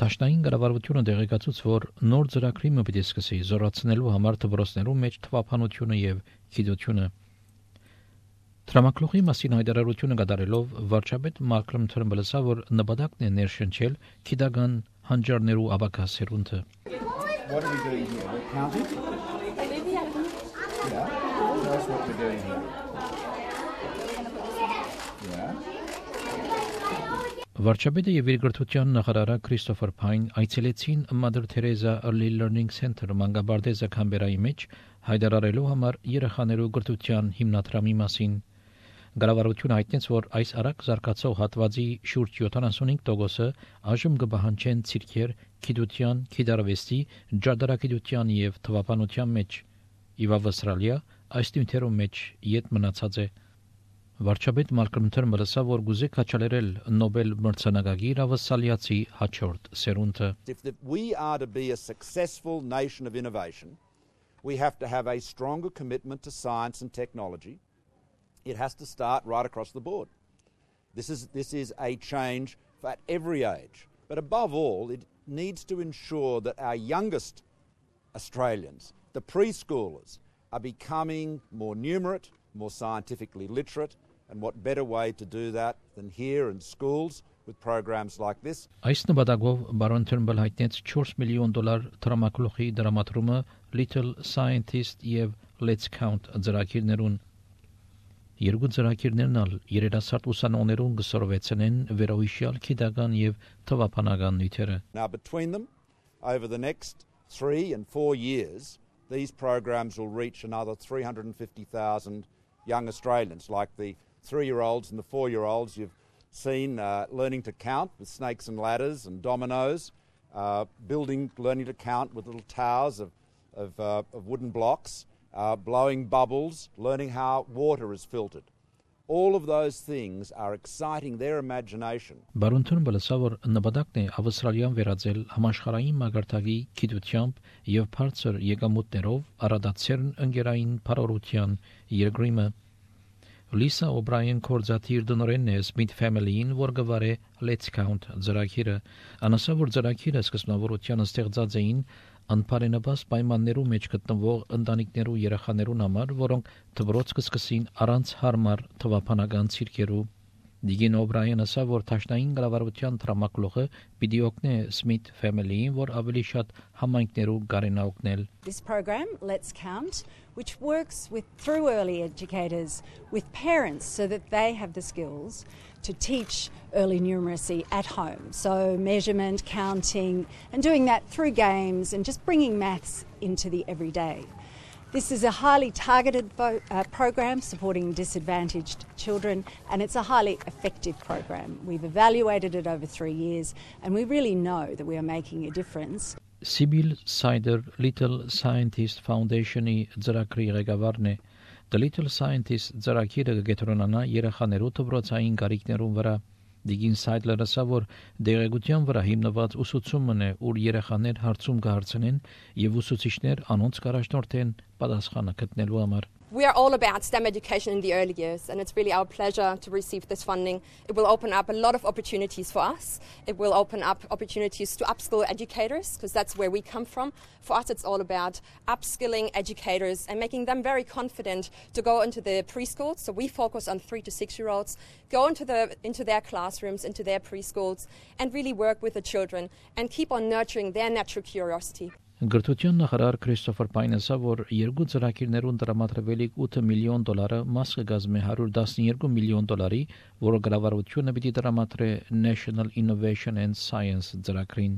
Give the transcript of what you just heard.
Տաշնային կառավարությունը դեղեկացուց, որ նոր ծրագրի մտի սկսի զորացնելու համար դպրոցներու մեջ թվափանությունը եւ գիտությունը։ Տրամակլուխի մասին հայտարարությունը կատարելով վարչապետ Մալկոլմ Թըրնբլը ասավ, որ նպատակն է ներշնչել քիդական հանճարներու աբակասերունը։ What are we doing here? We're counting? Yeah. That's what we're doing here. Yeah. Վարչապետը եւ երկրորդության նախարարը Քրիստոֆեր Փայն այցելեցին Mother Teresa Early Learning Center Մանգաբարդեզա Կամբերայի մեջ հայտարարելու համար երեխաներու գրթության հիմնադրամի մասին։ Գարավարությունը հայտնեց, որ այս արագ զարգացող հատվածի շուրջ 75% այժմ կբահանջեն ցիրքեր, գիտության, գիտարվեստի, ջարդարագիտության եւ թվապանության մեջ։ Իվ Ավստրալիա այս նյութերու մեջ յետ մնացած է։ Վարչապետ Մալկոլմ Թըրնբլը ասավ, որ գուզե կաչալերել Նոբել մրցանակագիր ավստրալիացի հաջորդ սերունդը։ If we are to be a successful nation of innovation, we have to have a stronger commitment to science and technology. It has to start right across the board. This is a change at every age. But above all, it needs to ensure that our youngest Australians, the preschoolers, are becoming more numerate, more scientifically literate, and what better way to do that than here in schools with programs like this. Այս նպատակով բարոն Թըրնբլը հայտնեց $4 միլիոն տրամակլուխի դրամատրումը Little Scientist եւ Let's Count ծրագիրներուն։ Երկու ծրագիրներն ալ երիտասարդ ուսանողներուն կսորվեցնեն վերոհիշյալ քիդական եւ թվապանական նյութերը։ Now between them, over the next 3 and 4 years, these programs will reach another 350,000 young Australians, like the 3-year-olds and the 4-year-olds you've seen learning to count with snakes and ladders and dominoes, learning to count with little towers of wooden blocks, blowing bubbles, learning how water is filtered. All of those things are exciting their imagination. Բարոն Թըրնբլը ասավ, որ նպատակն է Ավստրալիան վերածել համաշխարհային մագարտակի գիտությամբ եւ բարձր եկամուտներով առադացերն ընկերային բարօրության երկրիմը։ Լիսա Օբրայան կորզաթիր դնորենն է Smith Family-ին, որ գվարե Let's Count ծրագիրը։ Անասա, որ ծրագիրը սկզբնավորության ստեղծած էին անփարենաբաս պայմաններու մեջ գտնվող ընտանիքներու երեխաներուն համար, որոնք դպրոց կսկսին առանց հարմար թվապանական ցիրկերու։ Դիգին Օբրայան ասավ, որ Տաշնային կառավարության տրամակլուխը պիտի օգնե Smith Family-ին, որ ավելի շատ համայնքներու կարենա օգնել։ This program, Let's Count, which works through early educators with parents so that they have the skills to teach early numeracy at home. So measurement, counting, and doing that through games and just bringing maths into the everyday. This is a highly targeted program supporting disadvantaged children, and it's a highly effective program. We've evaluated it over 3 years, and we really know that we are making a difference. Sibyl Sider Little Scientist Foundation-ի ծրագրի ղեկավարն է։ The Little Scientist ծրագիրը կգետրոնանա երեխաներու դպրոցային կարիքներուն վրա։ Դիգին Սայդլերը ասավ, որ դեղեցության վրա հիմնված ուսուցումն է, ուր երեխաներ հարցում կհարցնեն եւ ուսուցիչներ անոնց կառաջնորդեն պատասխանը գտնելու համար։ We are all about STEM education in the early years, and it's really our pleasure to receive this funding. It will open up a lot of opportunities for us. It will open up opportunities to upskill educators, because that's where we come from. For us, it's all about upskilling educators and making them very confident to go into the preschools. So we focus on 3 to 6-year-olds, go into their classrooms, into their preschools, and really work with the children and keep on nurturing their natural curiosity. Գրթության նախարար Քրիստոֆեր Փայնը ասավ, որ երկու ծրագիրներուն տրամադրվելիք $8 միլիոն մաս կգազմի $112 միլիոն, որը կառավարությունը պիտի տրամադրե National Innovation and Science ծրագրին։